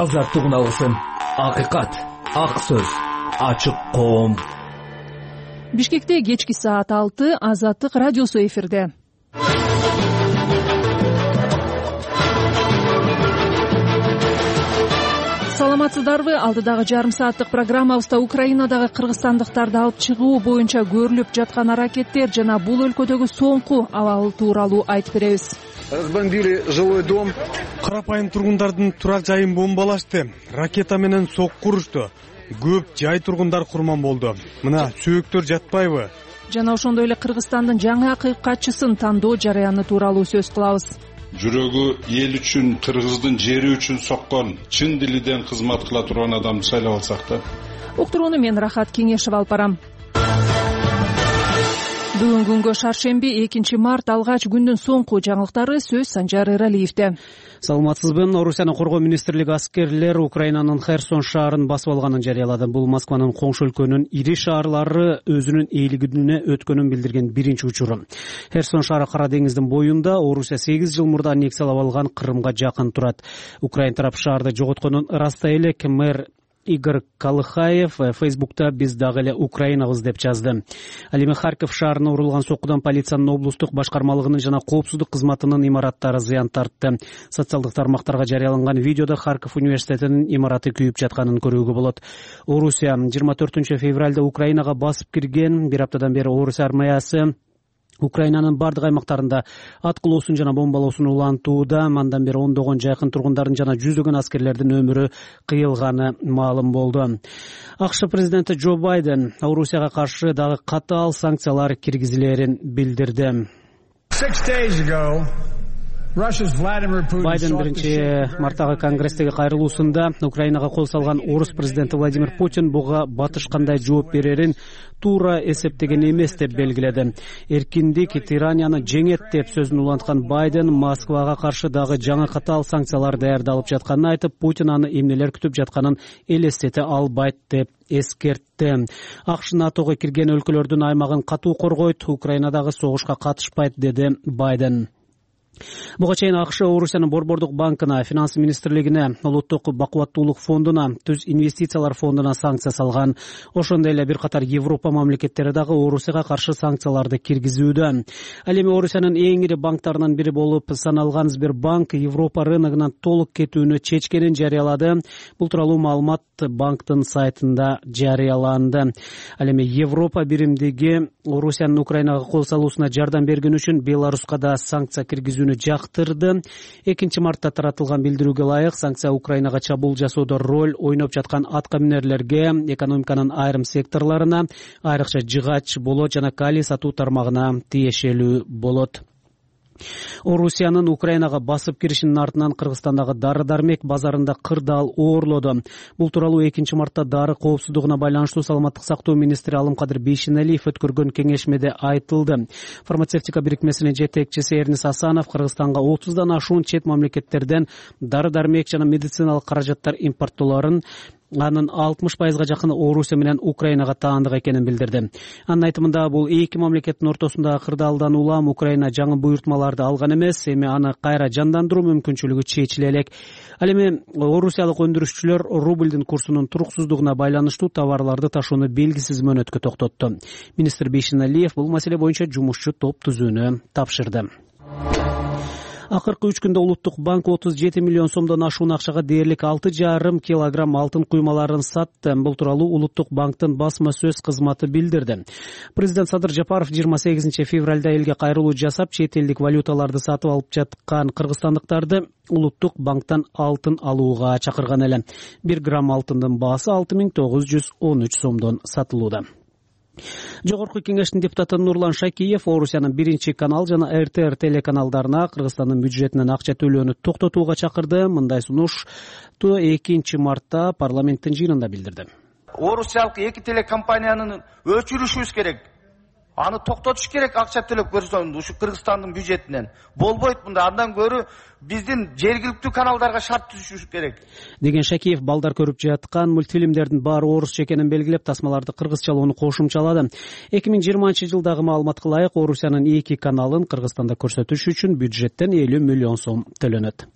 азаттык алсын. Акыйкат, ак сөз, ачык коом. Бишкекте кечки саат 6 Азаттык радиосу эфирде. Саламатсыздарбы? Алдыдагы жарым сааттык программабызда Украинадагы кыргызстандыктарды алып чыгуу боюнча көрүлүп жаткан аракеттер жана бул өлкөдөгү соңку абал тууралуу айтып беребиз. Разбомбили жилой дом. Карапайым тургундардын турак жайын бомбалашты. Ракета менен сокку урушту. Көп жай тургундар курман болду. Мына сөөктөр жатпайбы? Жана ошондой эле Кыргызстандын жаңы акыйкатчысын тандоо жарыяны тууралуу сөз кылабыз. Жүрөгү эл үчүн, кыргыздын жери үчүн соккон, чын дилиден кызмат кыла турган адамды шайлап алсак да. Уктурууну мен Рахат Кеңешев алып барам. Бүгүн күнгө шаршемби 2 март алгач күндүн соңку жаңылыктары сөз Санжар Эралиевде. Саламатсызбы? Орусиянын коргоо министрлиги аскерлер Украинанын Херсон шаарын басып алганын жарыялады. Бул Москванын коңшу өлкөнүн ири шаарлары өзүнүн ээлигине өткөнүн билдирген биринчи учуру. Херсон шаары Кара деңиздин боюнда Орусия 8 жыл мурда аннексиялап алган Крымга жакын турат. Украин тарап шаарды жоготконун ырастай элек. Мэр Игорь Колыхаев Фейсбукта биз дагы эле Украинабыз деп жазды. Ал эми Харьков шаарына урулган соккудан полициянын облустук башкармалыгынын жана коопсуздук кызматынын имараттары зыян тартты. Социалдык тармактарга жарыяланган видеодо Харьков университетинин имараты күйүп жатканын көрүүгө болот. Орусия 24 февралда Украинага басып кирген. Бир аптадан бери Орусия армиясы Украинанын бардык аймактарында аткылоосун жана бомбалоосун улантууда. Андан бери ондогон жакын тургундардын жана жүздөгөн аскерлердин өмүрү кыйылганы маалым болду. АКШ президенти Джо Байден Орусияга каршы дагы катаал санкциялар киргизилерин билдирди. Байден 1 марттагы конгресстеги кайрылуусунда Украинага кол салган орус президенти Владимир Путин буга батыш кандай жооп берерин туура эсептеген эмес деп белгиледи. Эркиндик тиранияны жеңет деп сөзүн уланткан Байден Москвага каршы дагы жаңы катаал санкциялар даярдалып жатканын айтып, Путин аны эмнелер күтүп жатканын элестете албайт деп эскертти. АКШ НАТОго кирген өлкөлөрдүн аймагын катуу коргойт, Украинадагы согушка катышпайт, деди Байден. Буга чейин АКШ Орусиянын Борбордук банкына, Финанс министрлигине, Улуттук бакубаттуулук фондуна, Түз инвестициялар фондуна санкция салган. Ошондой эле бир катар Европа мамлекеттери дагы Орусияга каршы санкцияларды киргизүүдө. Ал эми Орусиянын эң ири банктарынын бири болуп саналган Сбербанк Европа рыногунан толук кетүүнү чечкенин жарыялады. Бул тууралуу маалымат банктын сайтында жарыяланды. Ал эми Европа биримдиги Орусиянын Украинага кол салуусуна жардам берген үчүн Беларуска да санкция киргизүүнү жактырды. 2 мартта таратылган билдирүүгө ылайык, санкция Украинага чабуул жасоодо роль ойноп жаткан атка минерлерге, экономиканын айрым секторлоруна, айрыкча жыгач, болот жана калий сатуу тармагына тиешелүү болот. Орусиянын Украинага басып киришинин артынан Кыргызстандагы дары-дармек базарында кырдаал оорлоду. Бул тууралуу 2 мартта дары коопсуздугуна байланыштуу саламаттык сактоо министри Алымкадыр Бейшеналиев өткөргөн кеңешмеде айтылды. Фармацевтика бирикмесинин жетекчиси Эрнис Асанов Кыргызстанга 30дан ашуун чет мамлекеттерден дары-дармек жана медициналык каражаттар импорттоолорун, анын 60%га жакын Орусия менен Украинага таандык экенин билдирди. Анын айтымында бул эки мамлекеттин ортосундагы кырдаалдан улам Украина жаңы буйртмаларды алган эмес, эми аны кайра жандандыруу мүмкүнчүлүгү чечиле элек. Ал эми орусиялык өндүрүшчүлөр рубльдин курсунун туруксуздугуна байланыштуу товарларды ташууну белгисиз мөөнөткө токтотту. Министр Бейшеналиев бул маселе боюнча жумушчу топ түзүүнү тапшырды. Акыркы 3 күндө Улуттук банк 37 миллион сомдон ашуун акчага дээрлик 6,5 килограмм алтын куймаларын сатты. Бул тууралуу Улуттук банктын басма сөз кызматы билдирди. Президент Садыр Жапаров 28 февралда элге кайрылуу жасап, чет элдик валюталарды сатып алып жаткан кыргызстандыктарды Улуттук банктан алтын алууга чакырган эле. 1 грамм алтындын баасы 6913 сомдон сатылууда. Жогорку кеңештин депутаты Нурлан Шакиев Орусиянын 1 канал жана РТР телеканалдарына Кыргызстандын бюджетинен акча төлөөнү токтотууга чакырды. Мындай сунуш 2 мартта парламенттин жыйынында билдирди. Орусиялык эки телекомпанияны өчүрүшүбүз керек. Аны токтотуш керек, акча төлөп көрсөң ушу Кыргызстандын бюджетинен. Болбойт мында, андан көрү биздин жергиликтүү каналдарга шарт түзүш керек деген Шакиев балдар көрүп жаткан мультфильмдердин баары орусча экенин белгилеп, тасмаларды кыргызчалоону кошумчалады. 2020-жылдагы маалыматка ылайык Орусиянын 2 каналын Кыргызстанда көрсөтүш үчүн бюджеттен 50 миллион сом төлөнөт.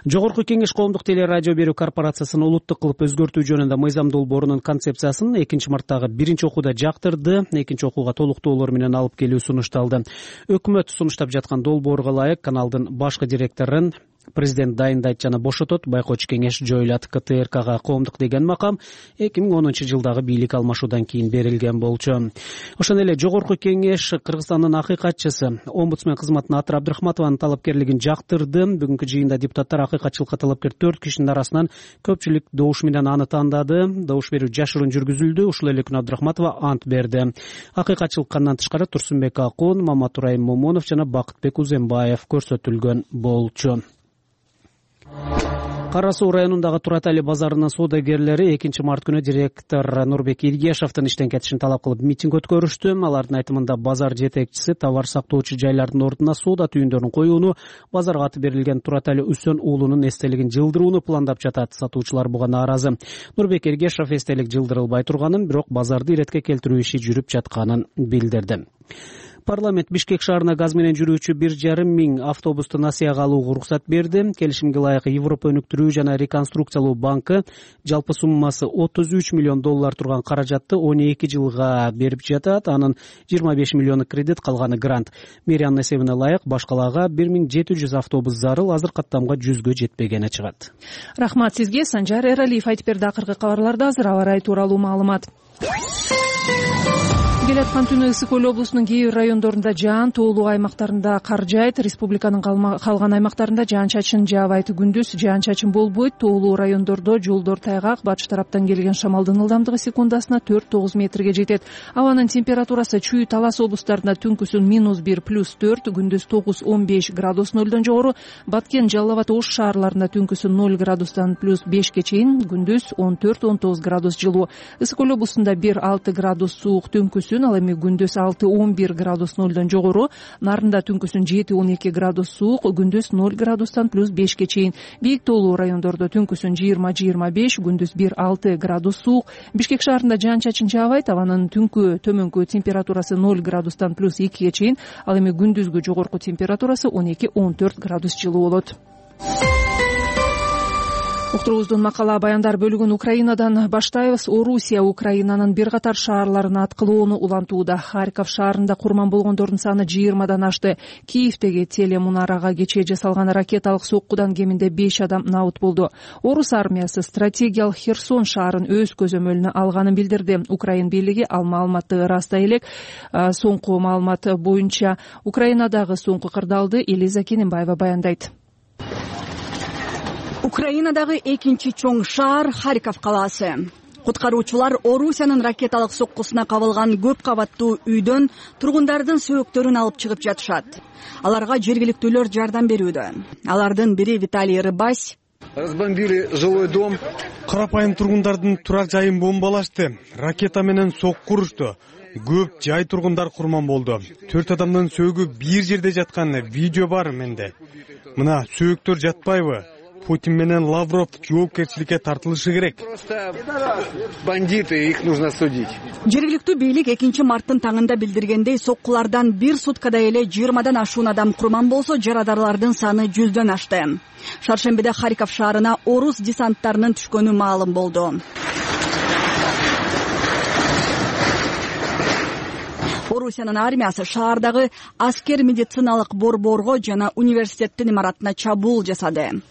Жогорку Кеңеш коомдук телерадио берүү корпорациясын улуттук кылып өзгөртүү жөнүндө мыйзам долбоорунун концепциясын 2-марттагы 1-окууда жактырды. 2-окууга толуктоолор менен алып келүү сунушталды. Өкмөт сунуштап жаткан долбоорго ылайык каналдын башкы директорун президент дайындайт жана бошотот. Байкоочу кеңеш жоюлат. КТРКга коомдук деген макам 2010-жылдагы бийлик алмашуудан кийин берилген болчу. Ошондой эле жогорку кеңеш Кыргызстандын акыйкатчысы омбудсмен кызматына Атыр Абдрахматованын талапкерлигин жактырды. Бүгүнкү жыйында депутаттар акыйкатчылыкка талапкер 4 кишинин арасынан көпчүлүк добуш менен аны тандады. Добуш берүү жашыруун жүргүзүлдү. Ушул эле күнү Абдрахматова ант берди. Акыйкатчылыкка андан тышкары Турсунбек Акун, Маматурайым Момунов жана Бакытбек Узембаев көрсөтүлгөн болчу. Кара Суу районундагы Турат Али базарынын соодагерлери 2-март күнү директор Нурбек Иргешовдун иштен кетишин талап кылып митинг өткөрүштү. Алардын айтымында базар жетекчиси товар сактоочу жайлардын ордуна соода түйүндөрүн коюуну, базарга аты берилген Турат Али Үсөн уулунун эстелигин жылдырууну пландап жатат. Сатуучулар буга нааразы. Нурбек Иргешов эстелик жылдырылбай турганын, бирок базарды иретке келтирүү иши жүрүп жатканын билдирди. Парламент Бишкек шаарына газ менен жүрүүчү 1,5 миң автобусту насыяга алууга уруксат берди. Келишимге ылайык Европа өнүктүрүү жана реконструкциялоо банкы жалпы суммасы $33 миллион турган каражатты 12 жылга берип жатат. Анын 25 миллиону кредит, калганы грант. Мэриянын эсебине ылайык башкаларга 1700 автобус зарыл, азыр каттамга 100гө жетпегени чыгат. Рахмат сизге. Санжар Эралиев айтып берди. Акыркы кабарларда азыр аба ырайы тууралуу маалымат. Келаткан түнү Ысык Көл облусунун кээ бир райондорунда жаан, тоолуу аймактарында кар жаайт. Республиканын калган аймактарында жаан-чачын жаабайт. Күндүз жаан-чачын болбойт. Тоолуу райондордо жолдор тайгак, батыш тараптан келген шамалдын ылдамдыгы секундасына 4-9 метрге жетет. Абанын температурасы Чүй, Талас облустарында түнкүсүн -1 +4, күндүз 9-15 градус нөлдөн жогору. Баткен, Жалал Абад, Ош шаарларында түнкүсүн 0 градустан +5ке чейин, күндүз 14-19 градус жылуу. Ысык Көл облусунда 1-6 градус суук түнкүсүн, ал эми күндүз 6-11 градус нөлдөн жогору. Нарында түнкүсүн 7-12 градус суук, күндүз 0 градустан +5ке чейин. Бийик тоолуу райондордо түнкүсүн 20-25, күндүз 1-6 градус суук. Бишкек шаарында жаан-чачын жаабайт. Абанын түнкү төмөнкү температурасы 0 градустан +2ке чейин, ал эми күндүзгү жогорку температурасы 12-14 градус жылуу болот. Уктуруубуздун макала баяндар бөлүгүн Украинадан баштайбыз. Орусия Украинанын бир катар шаарларына аткылоону улантууда. Харьков шаарында курман болгондордун саны 20дан ашты. Киевдеги телемунарага кечээ жасалган ракеталык соккудан кеминде 5 адам набыт болду. Орус армиясы стратегиялык Херсон шаарын өз көзөмөлүнө алганын билдирди. Украин бийлиги ал маалыматты ырастай элек. Соңку маалымат боюнча Украинадагы соңку кырдаалды Элиза Кененбаева баяндайт. Украинадагы экинчи чоң шаар Харьков калаасы. Куткаруучулар Орусиянын ракеталык соккусуна кабылган көп кабаттуу үйдөн тургундардын сөөктөрүн алып чыгып жатышат. Аларга жергиликтүүлөр жардам берүүдө. Алардын бири Виталий Рыбась. Разбомбили жилой дом. Карапайым тургундардын турак жайын бомбалашты. Ракета менен сокку урушту. Көп жай тургундар курман болду. 4 адамдын сөөгү бир жерде жатканы видео бар менде. Мына сөөктөр жатпайбы? Путин менен Лавров жоопкерчиликке тартылышы керек. Бандиты, их нужно судить. Жергиликтүү бийлик 2-марттын таңында билдиргендей, соккулардан бир суткада эле 20дан ашуун адам курман болсо, жарадарлардын саны 100дөн ашты. Шаршембиде Харьков шаарына орус десанттарынын түшкөнү маалым болду. Орусиянын армиясы шаардагы аскер медициналык борборго жана университеттин имаратына чабуул жасады.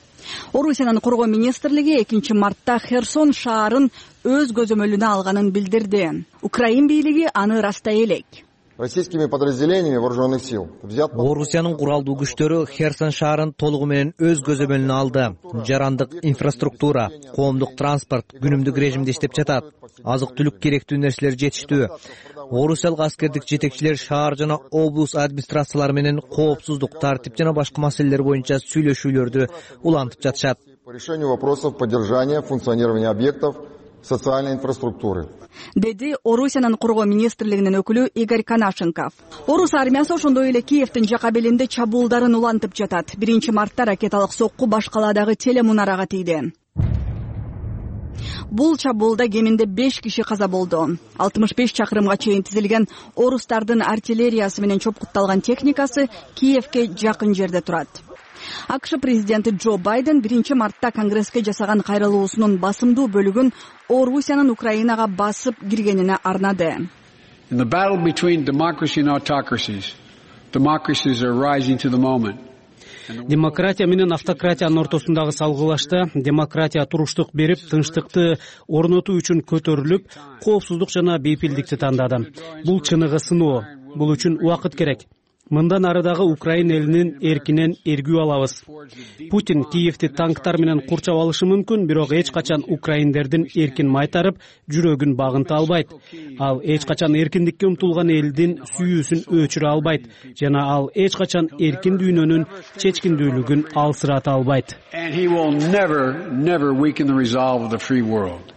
Орусиянын коргоо министрлиги 2-мартта Херсон шаарын өз көзөмөлүнө алганын билдирди. Украин бийлиги аны ырастай элек. Российскими подразделениями вооруженных сил. Орусиянын куралдуу күчтөрү Херсон шаарын толугу менен өз көзөмөлүнө алды. Жарандык инфраструктура, коомдук транспорт күнүмдүк режимде иштеп жатат. Азык-түлүк керектүү нерселер жетиштүү. Орусиялык аскердик жетекчилер шаар жана облус администрациялары менен коопсуздук, тартип жана башка маселелер боюнча сүйлөшүүлөрдү улантып жатышат. По решению вопросов поддержания функционирования объектов социальной инфраструктуры. Деди Орусиянын коргоо министрлигинин өкүлү Игорь Канашенков. Орус армиясы ошондой эле Киевдин жака белинде чабуулдарын улантып жатат. 1-мартта ракеталык сокку баш калаадагы телемунарага тийди. Бул чабуулда кеминде 5 киши каза болду. 65 чакырымга чейин тизилген орустардын артиллериясы менен чопкутталган техникасы Киевке жакын жерде турат. АКШ президенти Джо Байден 1-мартта Конгресске жасаган кайрылуусунун басымдуу бөлүгүн Орусиянын Украинага басып киргенине арнады. In the battle between democracy and autocracies, democracies are rising to the moment. Демократия менен автократиянын ортосундагы салгылашта демократия туруштук берип, тынчтыкты орнотуу үчүн көтөрүлүп, коопсуздук жана бейпилдикти тандады. Бул чыныгы сыноо. Бул үчүн убакыт керек. Мындан ары дагы Украина элинин эркинен эргүү алабыз. Путин Киевти танктар менен курчап алышы мүмкүн, бирок эч качан украиндердин эркин майтарып, жүрөгүн багынта албайт. Ал эч качан эркиндикке умтулган элдин сүйүүсүн өчүрө албайт жана ал эч качан эркин дүйнөнүн чечкиндүүлүгүн алсырата албайт. And he will never weaken the resolve of the free world.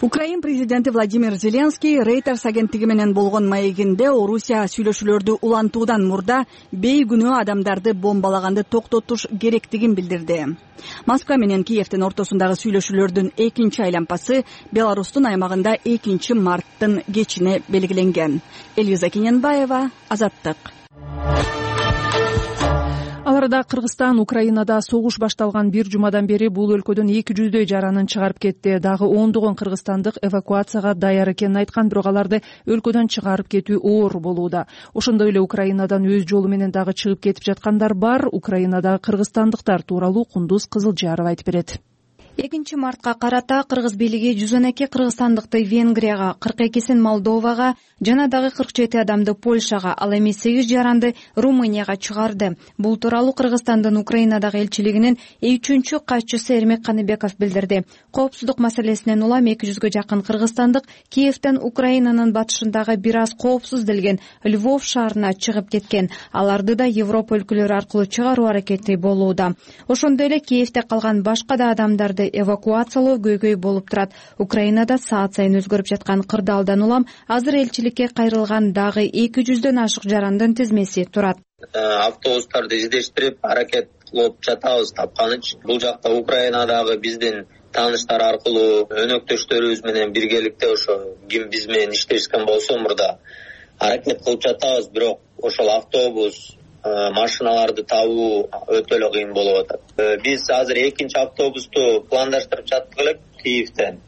Украин президенти Владимир Зеленский Reuters агенттиги менен болгон маегинде Орусия сүйлөшүүлөрдү улантуудан мурда бейгүнөө адамдарды бомбалаганды токтотуш керектигин билдирди. Москва менен Киевдин ортосундагы сүйлөшүүлөрдүн экинчи айланпасы Беларустун аймагында 2-марттын кечине белгиленген. Элиза Кененбаева, Азаттык. Аларда Кыргызстан Украинада согуш башталган бир жумадан бери бул өлкөдөн 200дөй жаранын чыгарып кетти. Дагы ондогон кыргызстандык эвакуацияга даяр экенин айткан, бирок аларды өлкөдөн чыгарып кетүү оор болууда. Ошондой эле Украинадан өз жолу менен дагы чыгып кетип жаткандар бар. Украинадагы кыргызстандыктар тууралуу Кундуз Кызылжаров айтып берет. 2-мартка карата кыргыз бийлиги 112 кыргызстандыкты Венгрияга, 42син Молдовага жана дагы 47 адамды Польшага, ал эми 8 жаранды Румынияга чыгарды. Бул тууралуу Кыргызстандын Украинадагы элчилигинин 3-чү катчысы Эрмек Каныбеков билдирди. Коопсуздук маселесинен улам 200гө жакын кыргызстандык Киевден Украинанын батышындагы бир аз коопсуз делген Львов шаарына чыгып кеткен. Аларды да Европа өлкөлөрү аркылуу чыгаруу аракети болууда. Ошондой эле Киевде калган башка да адамдарды эвакуациялоо көйгөй болуп турат. Украинада саат сайын өзгөрүп жаткан кырдаалдан улам азыр элчиликке кайрылган дагы 200дөн ашык жарандын тизмеси турат. Автобустарды издештирип аракет кылып жатабыз тапканыч. Бул жакта Украинадагы биздин тааныштар аркылуу өнөктөштөрүбүз менен биргеликте ошо ким биз менен иштешкен болсо мурда аракет кылып жатабыз, бирок ошол автобус машиналарды табуу өтө эле кыйын болуп атат. Биз азыр экинчи автобусту пландаштырып жаттык элек Киевден.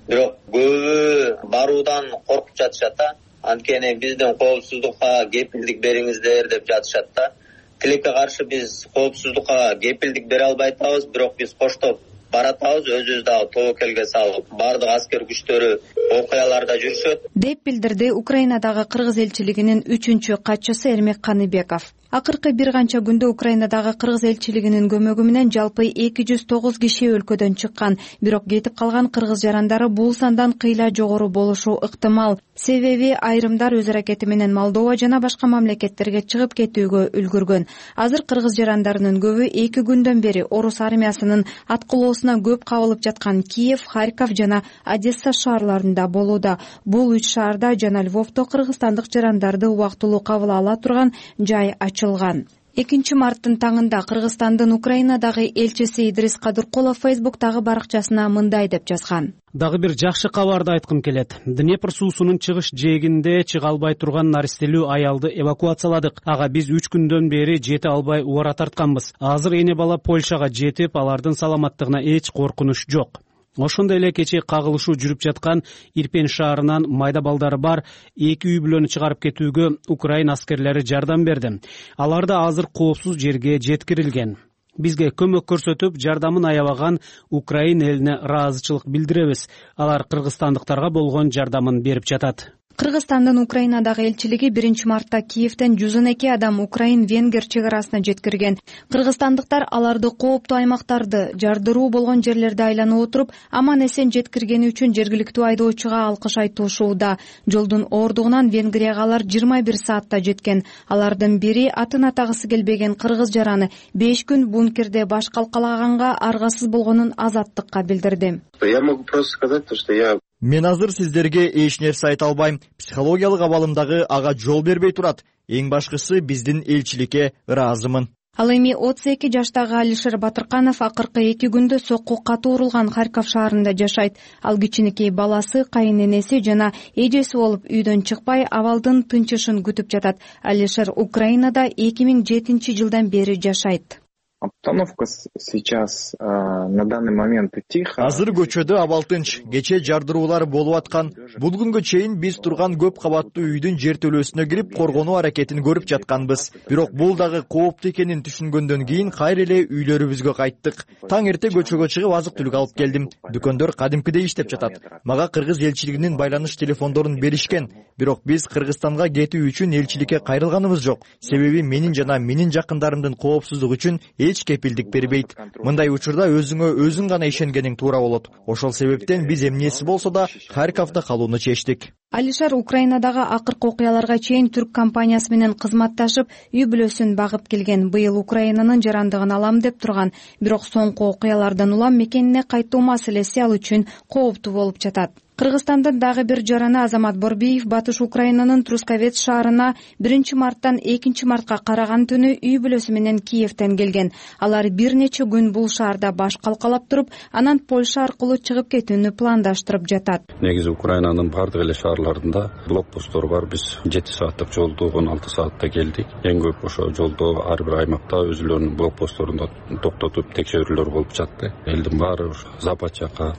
Бирок көбү баруудан коркуп жатышат да. Анткени биздин коопсуздукка кепилдик бериңиздер деп жатышат да. Тилекке каршы биз коопсуздукка кепилдик бере албай атабыз, бирок биз коштоп баратабыз, өзүбүз дагы тобокелге салып, бардык аскер күчтөрү окуяларда жүрүшөт деп билдирди Украинадагы кыргыз элчилигинин 3-чү катчысы Эрмек Каныбеков. Акыркы бир канча күндө Украинадагы кыргыз элчилигинин көмөгү менен жалпы 209 киши өлкөдөн чыккан, бирок кетип калган кыргыз жарандары бул сандан кыйла жогору болушу ыктымал. Себеби айрымдар өз аракети менен Молдова жана башка мамлекеттерге чыгып кетүүгө үлгүргөн. Азыр кыргыз жарандарынын көбү 2 күндөн бери орус армиясынын аткылоосуна көп кабылып жаткан Киев, Харьков жана Одесса шаарларында болууда. Бул 3 шаарда жана Львовдо кыргызстандык жарандарды убактылуу кабыл ала турган жай ачылган. 2-марттын таңында Кыргызстандын Украинадагы элчиси Идрис Кадыркулов Facebook'тагы баракчасына мындай деп жазган. Дагы бир жакшы кабарды айткым келет. Днепр суусунун чыгыш жээгинде чыга албай турган наристелүү аялды эвакуацияладык. Ага биз 3 күндөн бери жете албай убара тартканбыз. Азыр эне бала Польшага жетип, алардын саламаттыгына эч коркунуч жок. Ошондой эле кечээ кагылышуу жүрүп жаткан Ирпен шаарынан майда балдары бар 2 үй бүлөнү чыгарып кетүүгө Украин аскерлери жардам берди. Алар да азыр коопсуз жерге жеткирилген. Бизге көмөк көрсөтүп, жардамын аябаган Украин элине ыраазычылык билдиребиз. Алар кыргызстандыктарга болгон жардамын берип жатат. Кыргызстандын Украинадагы элчилиги 1-мартта Киевден 112 адам Украин-Венгер чек арасына жеткирген. Кыргызстандыктар аларды кооптуу аймактарды, жардыруу болгон жерлерди айланып отуруп, аман эсен жеткиргени үчүн жергиликтүү айдоочуга алкыш айтышууда. Жолдун оордугунан Венгрияга алар 21 саатта жеткен. Алардын бири атын атагысы келбеген кыргыз жараны 5 күн бункерде баш калкалаганга аргасыз болгонун Азаттыкка билдирди. Я могу просто сказать, что я Мен азыр сиздерге эч нерсе айта албайм. Психологиялык абалымдагы ага жол бербей турат. Эң башкысы биздин элчиликке ыраазымын. Ал эми 32 жаштагы Алишер Батырканов акыркы 2 күндө сокку катуу урулган Харьков шаарында жашайт. Ал кичинекей баласы, кайынэнеси жана эжеси болуп үйдөн чыкпай абалдын тынчышын күтүп жатат. Алишер Украинада 2007 жылдан бери жашайт. Обстановка сейчас на данный момент тихо. Азыр көчөдө абал тынч, кече жардыруулар болуп аткан. Бул күнгө чейин биз турган көп кабаттуу үйдүн жертөлөсүнө кирип коргонуу аракетин көрүп жатканбыз. Бирок бул дагы кооптуу экенин түшүнгөндөн кийин кайра эле үйлөрүбүзгө кайттык. Таң эрте көчөгө чыгып азык-түлүк алып келдим. Дүкөндөр кадимкидей иштеп жатат. Мага кыргыз элчилигинин байланыш телефондорун беришкен. Бирок биз Кыргызстанга кетүү үчүн элчиликке кайрылганыбыз жок. Себеби менин жана менин жакындарымдын коопсуздугу үчүн эч кепилдик бербейт. Мындай учурда өзүңө өзүң гана ишенгениң туура болот. Ошол себептен биз эмнеси болсо да Харьковдо калууну чечтик. Алишер Украинадагы акыркы окуяларга чейин түрк компаниясы менен кызматташып, үй бүлөсүн багып келген. Быйыл Украинанын жарандыгын алам деп турган. Бирок соңку окуялардан улам мекенине кайтуу маселеси ал үчүн кооптуу болуп жатат. Кыргызстандын дагы бир жараны Азамат Борбиев Батыш Украинанын Трусковец шаарына 1-марттан 2-мартка караган түнү үй бүлөсү менен Киевден келген. Алар бир нече күн бул шаарда баш калкалап туруп, анан Польша аркылуу чыгып кетүүнү пландаштырып жатат. Негизи Украинанын бардык эле шаарларында блокпосттор бар. Биз 7 сааттык жолду 16 саатта келдик. Эң көп ошо жолдо ар бир аймакта өзүлөрүнүн блокпостторунда токтотуп текшерүүлөр болуп жатты. Элдин баары Запад жака,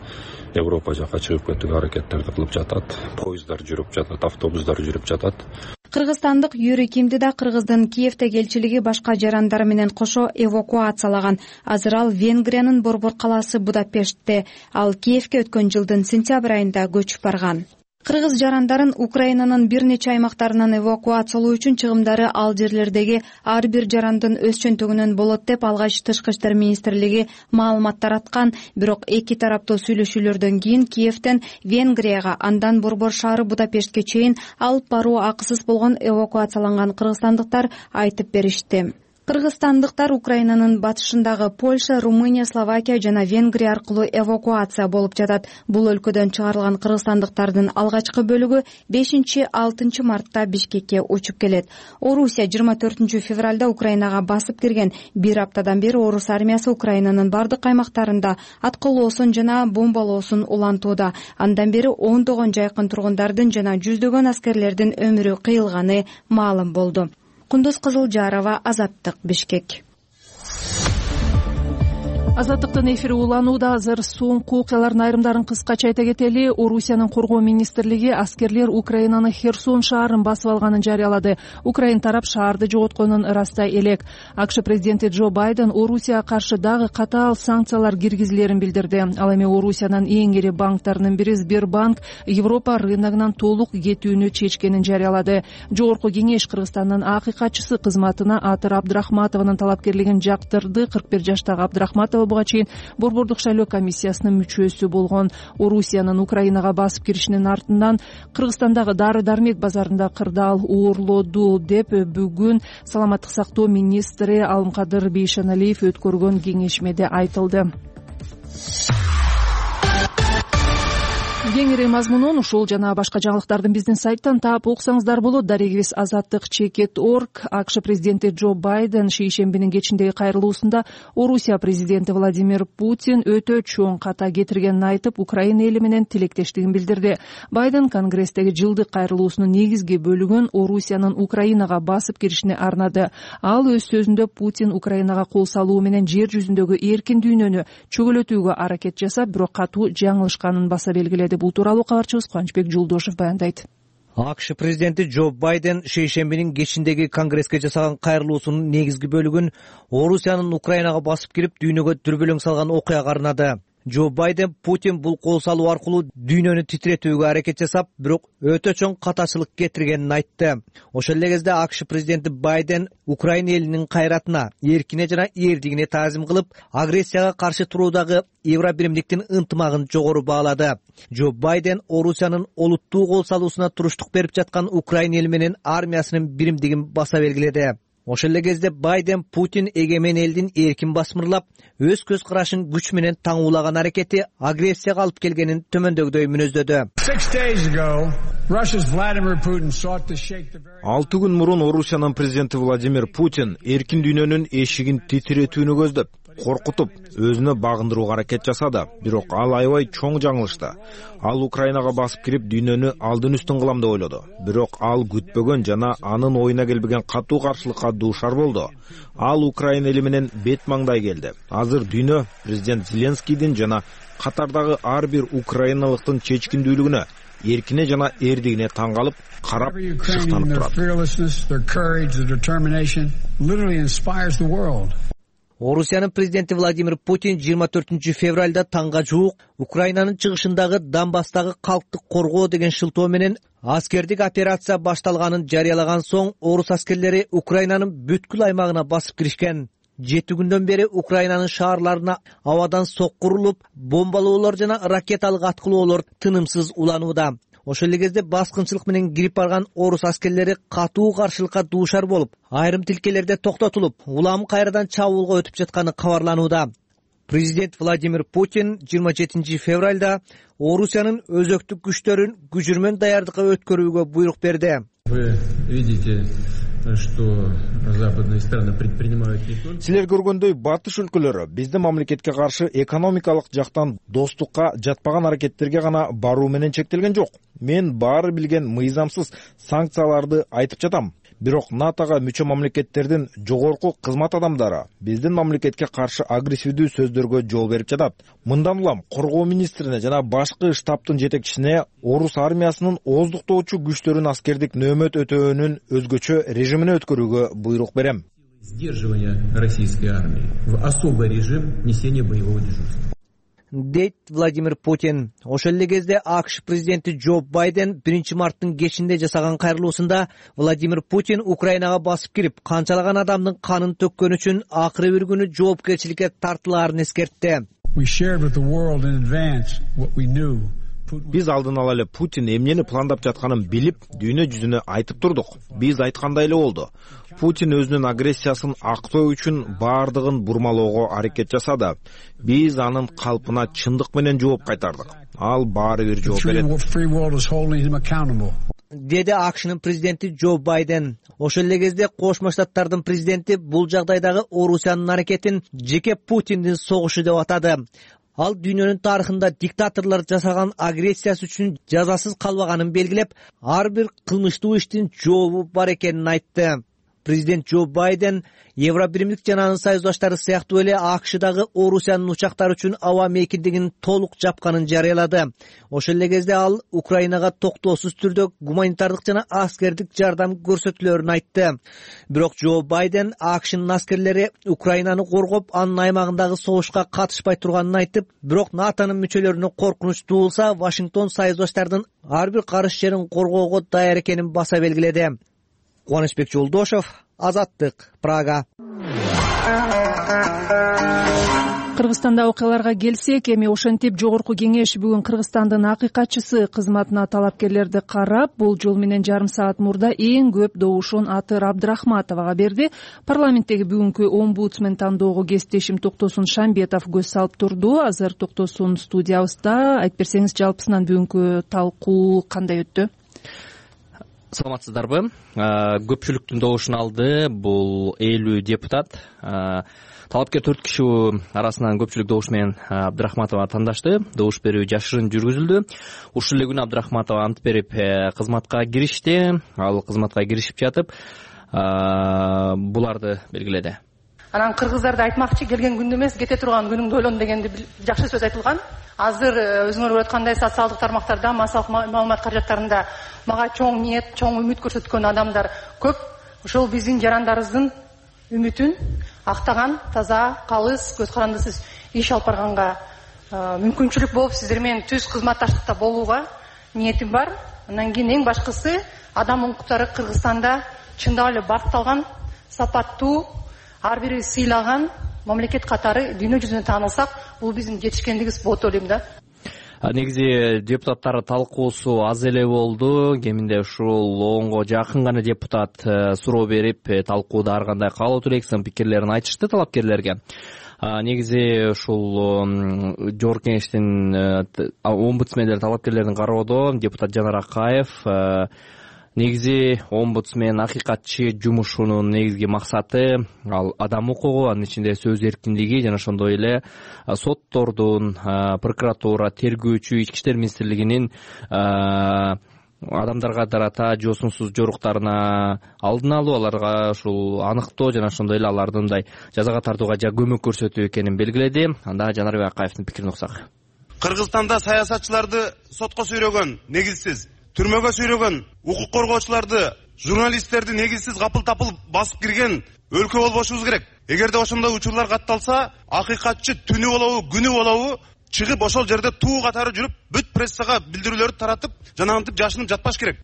Европа жака чыгып кетүүгө аракеттерди кылып жатат. Поездар жүрүп жатат, автобустар жүрүп жатат. Кыргызстандык Юрий Кимди да Кыргыздын Киевдеги элчилиги башка жарандары менен кошо эвакуациялаган. Азыр ал Венгриянын Борбор калаасы Будапештте. Ал Киевге өткөн жылдын сентябрь айында көчүп барган. Кыргыз жарандарын Украинанын бир нече аймактарынан эвакуациялоо үчүн чыгымдары ал жерлердеги ар бир жарандын өз чөнтөгүнөн болот деп алгач Тышкы иштер министрлиги маалымат тараткан. Бирок эки тараптуу сүйлөшүүлөрдөн кийин Киевден Венгрияга, андан Борбор шаары Будапештке чейин алып баруу акысыз болгон эвакуацияланган кыргызстандыктар айтып беришти. Кыргызстандыктар Украинанын батышындагы Польша, Румыния, Словакия жана Венгрия аркылуу эвакуация болуп жатат. Бул өлкөдөн чыгарылган кыргызстандыктардын алгачкы бөлүгү 5-6 мартта Бишкекке учуп келет. Орусия 24 февралда Украинага басып кирген. Бир аптадан бери орус армиясы Украинанын бардык аймактарында аткылоосун жана бомбалоосун улантууда. Андан бери ондогон жайкын тургундардын жана жүздөгөн аскерлердин өмүрү кыйылганы маалым болду. Кундуз Кызылжарова, Азаттык, Бишкек. Азаттыктын эфири уланууда. Азыр соңку окуялардын айрымдарын кыскача айта кетели. Орусиянын коргоо министрлиги аскерлер Украинанын Херсон шаарын басып алганын жарыялады. Украин тарап шаарды жоготконун ырастай элек. АКШ президенти Джо Байден Орусияга каршы дагы катаал санкциялар киргизилерин билдирди. Ал эми Орусиянын эң ири банктарынын бири Сбербанк Европа рыногунан толук кетүүнү чечкенин жарыялады. Жогорку кеңеш Кыргызстандын акыйкатчысы кызматына Атыр Абдрахматованын талапкерлигин жактырды. 41 жаштагы Абдрахматова буга чейин Борбордук шайлоо комиссиясынын мүчөсү болгон. Орусиянын Украинага басып киришинин артынан Кыргызстандагы дары-дармек базарында кырдаал оорлоду деп бүгүн саламаттык сактоо министри Алымкадыр Бейшеналиев өткөргөн кеңешмеде айтылды. Кеңири мазмунун ушул жана башка жаңылыктардын биздин сайттан таап окусаңыздар болот. Дарегибиз Азаттык.org. АКШ президенти Джо Байден шейшембинин кечиндеги кайрылуусунда Орусия президенти Владимир Путин өтө чоң ката кетиргенин айтып, Украина эли менен тилектештигин билдирди. Байден Конгресстеги жылдык кайрылуусунун негизги бөлүгүн Орусиянын Украинага басып киришине арнады. Ал өз сөзүндө Путин Украинага кол салуу менен жер жүзүндөгү эркин дүйнөнү чөгөлөтүүгө аракет жасап, бирок катуу жаңылышканын баса белгиледи. Бул тууралуу кабарчыбыз Кубанычбек Жулдошев баяндайт. АКШ президенти Джо Байден шейшембинин кечиндеги Конгресске жасаган кайрылуусунун негизги бөлүгүн Орусиянын Украинага басып кирип дүйнөгө дүрбөлөң салган окуяга арнады. Джо Байден Путин бул кол салуу аркылуу дүйнөнү титиретүүгө аракет жасап, бирок өтө чоң катачылык кетиргенин айтты. Ошол эле кезде АКШ президенти Байден Украина элинин кайратына, эркине жана эрдигине таазим кылып, агрессияга каршы туруудагы Евробиримдиктин ынтымагын жогору баалады. Джо Байден Орусиянын олуттуу кол салуусуна туруштук берип жаткан Украина эли менен армиясынын биримдигин баса белгиледи. Ошол эле кезде Байден Путин эгемен элдин эркин басмырлап, өз көз карашын күч менен таңуулаган аракети агрессияга алып келгенин төмөндөгүдөй мүнөздөдү. 6 күн мурун Орусиянын президенти Владимир Путин эркин дүйнөнүн эшигин титиретүүнү көздөп, коркутуп, өзүнө багындырууга аракет жасады. Бирок ал аябай чоң жаңылышты. Ал Украинага басып кирип, дүйнөнү алдын үстүн кылам деп ойлоду. Бирок ал күтпөгөн жана анын оюна келбеген катуу каршылыкка дуушар болду. Ал Украина эли менен бет маңдай келди. Азыр дүйнө президент Зеленскийдин жана катардагы ар бир украиналыктын чечкиндүүлүгүнө, эркине жана эрдигине таң калып, карап, шыктанып турат. Орусиянын президенти Владимир Путин 24 февралда таңга жуук Украинанын чыгышындагы Донбасстагы калктык коргоо деген шылтоо менен аскердик операция башталганын жарыялаган соң, орус аскерлери Украинанын бүткүл аймагына басып киришкен. 7 күндөн бери Украинанын шаарларына абадан соккурулуп, бомбалоолор жана ракеталык аткылоолор тынымсыз уланууда. Ошол эле кезде баскынчылык менен кирип барган орус аскерлери катуу каршылыкка дуушар болуп, айрым тилкелерде токтотулуп, улам кайрадан чабуулга өтүп жатканы кабарланууда. Президент Владимир Путин 27 февралда Орусиянын өзөктүк күчтөрүн күжүрмөн даярдыкка өткөрүүгө буйрук берди. Силер көргөндөй батыш өлкөлөрү биздин мамлекетке каршы экономикалык жактан достукка жатпаган аракеттерге гана баруу менен чектелген жок. Мен баары билген мыйзамсыз санкцияларды айтып жатам. Бирок НАТОга мүчө мамлекеттердин жогорку кызмат адамдары биздин мамлекетке каршы агрессивдүү сөздөргө жол берип жатат. Мындан улам коргоо министрине жана башкы штабтын жетекчисине орус армиясынын ооздуктоочу күчтөрүн аскердик нөөмөт өтөөнүн өзгөчө режимине өткөрүүгө буйрук берем. Сдерживание российской армии в особый режим несения боевого дежурства. Дейт Владимир Путин. Ошол эле кезде АКШ президенти Джо Байден 1 марттын кечинде жасаган кайрылуусунда Владимир Путин Украинага басып кирип, канчалаган адамдын канын төккөн үчүн акыры бир күнү жоопкерчиликке тартылаарын эскертти. Биз алдын ала эле Путин эмнени пландап жатканын билип, дүйнө жүзүнө айтып турдук. Биз айткандай эле болду. Путин өзүнүн агрессиясын актоо үчүн баардыгын бурмалоого аракет жасады. Биз анын калпына чындык менен жооп кайтардык. Ал баары бир жооп берет. Деди АКШнын президенти Джо Байден. Ошол эле кезде Кошмо Штаттардын президенти бул жагдайдагы Орусиянын аракетин жеке Путиндин согушу деп атады. Ал дүйнөнүн тарыхында диктаторлор жасаган агрессиясы үчүн жазасыз калбаганын белгилеп, ар бир кылмыштуу иштин жообу бар экенин айтты. Президент Джо Байден Евробиримдик жана анын союздаштары сыяктуу эле АКШдагы Орусиянын учактары үчүн аба мейкиндигин толук жапканын жарыялады. Ошол эле кезде ал Украинага токтоосуз түрдө гуманитардык жана аскердик жардам көрсөтүүлөрүн айтты. Бирок Джо Байден АКШнын аскерлери Украинаны коргоп, анын аймагындагы согушка катышпай турганын айтып, бирок НАТОнун мүчөлөрүнө коркунуч туулса, Вашингтон союздаштардын ар бир карыш жерин коргоого даяр экенин баса белгиледи. Кубанычбек Жолдошов, Азаттык, Прага. Кыргызстанда окуяларга келсек, эми ошентип жогорку кеңеш бүгүн Кыргызстандын акыйкатчысы кызматына талапкерлерди карап, бул жол менен жарым саат мурда эң көп добушун Атыр Абдрахматовага берди. Парламенттеги бүгүнкү омбудсмен тандоого кесиптешим Токтосун Шамбетов көз салып турду. Азыр Токтосун студиябызда. Айтып берсеңиз, жалпысынан бүгүнкү талкуу кандай өттү? Саламатсыздарбы? Көпчүлүктүн добушун алды. Бул 50 депутат. Талапкер 4 киши арасынан көпчүлүк добуш менен Абдрахматова тандашты. Добуш берүү жашырын жүргүзүлдү. Ушул эле күнү Абдрахматова ант берип кызматка киришти. Ал кызматка киришип жатып, буларды белгиледи. Анан кыргыздарды айтмакчы, келген күндө эмес, кете турган күнүңдө ойлон дегенди жакшы сөз айтылган. Азыр өзүңөр көрүп аткандай социалдык тармактарда, массалык маалымат каражаттарында мага чоң ниет, чоң үмүт көрсөткөн адамдар көп. Ошол биздин жарандарыбыздын үмүтүн актаган, таза, калыс, көз карандысыз иш алып барганга мүмкүнчүлүк болуп сиздер менен түз кызматташтыкта болууга ниетим бар. Андан кийин эң башкысы адам укуктары Кыргызстанда чындап эле баркталган, сапаттуу, ар бири сыйлаган мамлекет катары дүйнө жүзүнө таанылсак, бул биздин жетишкендигибиз болот деп ойлойм да. Негизи депутаттар талкуусу аз эле болду. Кеминде ушул 10го жакын гана депутат суроо берип, талкууда ар кандай каалооту элек сын пикирлерин айтышты талапкерлерге. Негизи ушул Жогорку Кеңештин омбудсмендери талапкерлерин кароодо депутат Жанар Акаев негизи омбудсмен акыйкатчы жумушунун негизги максаты ал адам укугу, анын ичинде сөз эркиндиги жана ошондой эле соттордун, прокуратура, тергөөчү, Ички иштер министрлигинин адамдарга тарата жосунсуз жоруктарына алдын алуу, аларга ушул аныктоо жана ошондой эле аларды мындай жазага тартууга көмөк көрсөтүү экенин белгиледи. Анда Жанарбек Акаевдин пикирин уксак. Кыргызстанда саясатчыларды сотко сүйрөгөн, негизсиз, түрмөгө сүйрөгөн, укук коргоочуларды, журналисттерди негизсиз капыл-тапыл басып кирген өлкө болбошубуз керек. Эгерде ошондой учурлар катталса, акыйкатчы түнү болобу, күнү болобу чыгып ошол жерде туу катары жүрүп, бүт прессага билдирүүлөрдү таратып, жанагынтип жашынып жатпаш керек.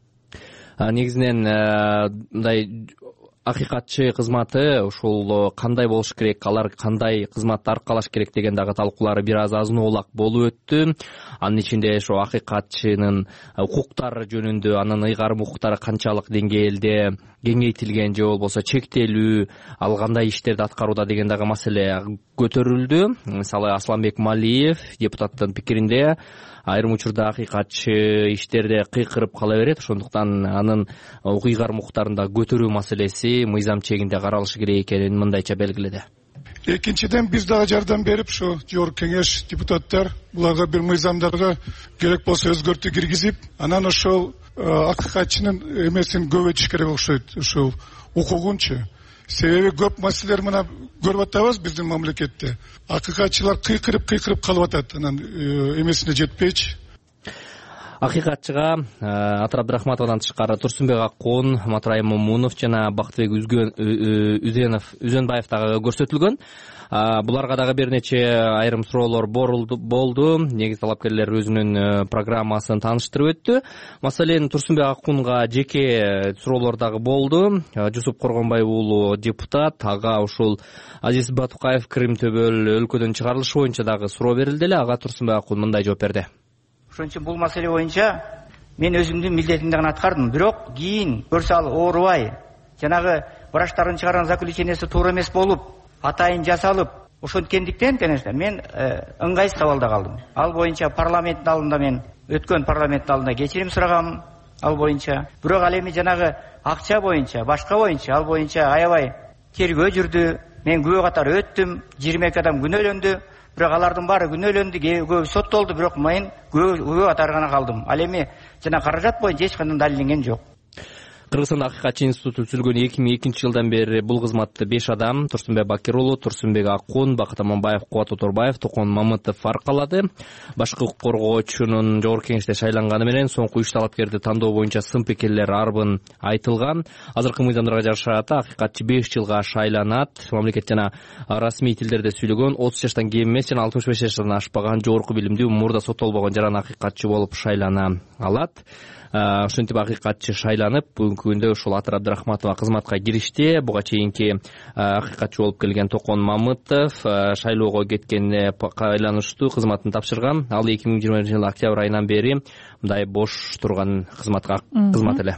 Негизинен мындай акыйкатчы кызматы ушул кандай болуш керек, алар кандай кызматты аркалаш керек деген дагы талкуулары бир аз азын-оолак болуп өттү. Анын ичинде ошо акыйкатчынын укуктары жөнүндө, анын ыйгарым укуктары канчалык деңгээлде кеңейтилген же болбосо чектелүү, ал кандай иштерди аткарууда деген дагы маселе көтөрүлдү. Мисалы Асланбек Малиев депутаттын пикиринде айрым учурда акыйкатчы иштерде кыйкырып кала берет, ошондуктан анын ыйгарым укуктарында көтөрүү маселеси мыйзам чегинде каралышы керек экенин мындайча белгиледи. Экинчиден биз дагы жардам берип, ушу Жогорку Кеңеш депутаттар буларга бир мыйзамдарга керек болсо өзгөртүү киргизип, анан ошол акыйкатчынын эмесин көбөйтүш керек окшойт, ушул укугунчу. Себеби көп маселелер мына көрүп атабыз биздин мамлекетте. Акыйкатчылар кыйкырып калып атат, анан эмесине жетпейчи. Акыйкатчыга Атыр Абдрахматовдон тышкары Турсунбек Аккун, Матурай Момунов жана Бактыбек Үзөнбаев дагы көрсөтүлгөн. Буларга дагы бир нече айрым суроолор болду. Негизи талапкерлер өзүнүн программасын тааныштырып өттү. Маселен, Турсунбек Аккунга жеке суроолор дагы болду. Жусуп Коргонбаев уулу депутат, ага ушул Азиз Батукаев Крым төбөл өлкөдөн чыгарылышы боюнча дагы суроо берилди эле. Ага Турсунбек Аккун мындай жооп берди. Ошон үчүн бул маселе боюнча мен өзүмдүн милдетимди гана аткардым. Бирок кийин көрсө ал оорубай, жанагы врачтардын чыгарган заключениясы туура эмес болуп, атайын жасалып, ошонткендиктен, конечно, мен ыңгайсыз абалда калдым. Ал боюнча парламенттин алдында мен өткөн парламенттин алдында кечирим сурагам ал боюнча. Бирок ал эми жанагы акча боюнча, башка боюнча, ал боюнча аябай тергөө жүрдү. Мен күбө катары өттүм, 22 адам күнөөлөндү. Бирок алардын баары күнөөлөндү, көбү соттолду, бирок мен күбө катары гана калдым. Ал эми жана каражат боюнча эч кандай далилденген жок. Кыргызстанда акыйкатчы институту түзүлгөн 2002 жылдан бери бул кызматты 5 адам, Турсунбек Бакир уулу, Турсунбек Аккун, Бакыт Аманбаев, Кубат Оторбаев, Токон Мамытов аркалады. Башкы укук коргоочунун Жогорку Кеңеште шайланганы менен соңку 3 талапкерди тандоо боюнча сын пикирлер арбын айтылган. Азыркы мыйзамдарга жараша акыйкатчы 5 жылга шайланат. Мамлекет жана расмий тилдерде сүйлөгөн 30 жаштан кем эмес жана 65 жаштан ашпаган жогорку билимдүү, мурда соттолбогон жаран акыйкатчы болуп шайлана алат. Ошентип акыйкатчы шайланып, бүгүнкү күндө ушул Атыр Абдрахматова кызматка киришти. Буга чейинки акыйкатчы болуп келген Токон Мамытов шайлоого кеткенде айланышты кызматын тапшырган. Ал 2020 жылы октябрь айынан бери мындай бош турган кызмат эле.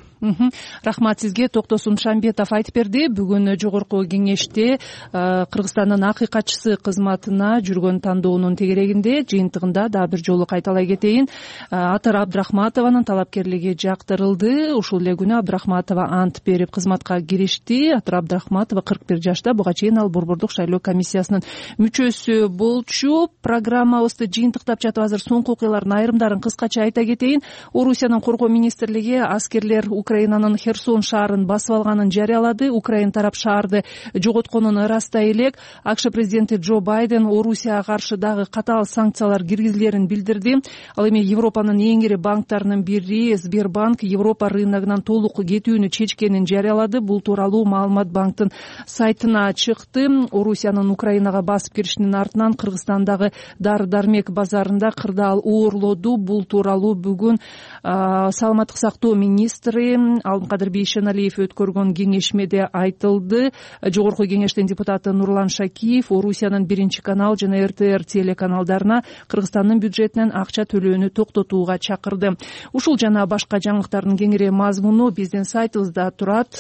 Рахмат сизге. Токтосун Шамбетов айтып берди. Бүгүн Жогорку Кеңеште Кыргызстандын акыйкатчысы кызматына жүргөн тандоонун тегерегинде жыйынтыгында дагы бир жолу кайталай кетейин. Атыр Абдрахматованын талапкерлиги жактырылды. Ушул эле күнү Абдрахматова ант берип кызматка киришти. Атыр Абдрахматова 41 жашта. Буга чейин ал Борбордук шайлоо комиссиясынын мүчөсү болчу. Программабызды жыйынтыктап жатып азыр соңку окуялардын айрымдарын кыскача айта кетейин. Орусиянын коргоо министрлиги аскерлер Украинанын Херсон шаарын басып алганын жарыялады. Украин тарап шаарды жоготконун ырастай элек. АКШ президенти Джо Байден Орусияга каршы дагы катаал санкциялар киргизилерин билдирди. Ал эми Европанын эң ири банктарынын бири Сбербанк Европа рыногунан толук кетүүнү чечкенин жарыялады. Бул тууралуу маалымат банктын сайтына чыкты. Орусиянын Украинага басып киришинин артынан Кыргызстандагы дары-дармек базарында кырдаал оорлоду. Бул тууралуу бүгүн саламаттык сактоо министри Алымкадыр Бейшеналиев өткөргөн кеңешмеде айтылды. Жогорку кеңештин депутаты Нурлан Шакиев Орусиянын 1 канал жана РТР телеканалдарына Кыргызстандын бюджетинен акча төлөөнү токтотууга чакырды. Ушул жана башка жаңылыктардын кеңири мазмуну биздин сайтыбызда турат.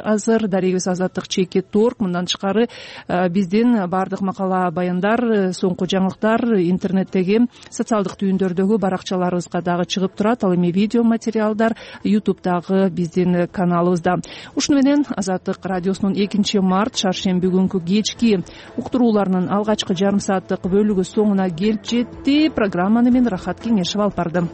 Азыр дарегибиз Азаттык.org. Мындан тышкары биздин баардык макала баяндар, соңку жаңылыктар интернеттеги социалдык түйүндөрдөгү баракчаларыбызга дагы чыгып турат. Ал эми видео материалдар YouTube'дагы биздин каналыбызда. Ушуну менен Азаттык радиосунун 2 март шаршемби күнкү кечки уктурууларынын алгачкы жарым сааттык бөлүгү соңуна келип жетти. Программаны мен Рахат Кеңешев алып бардым.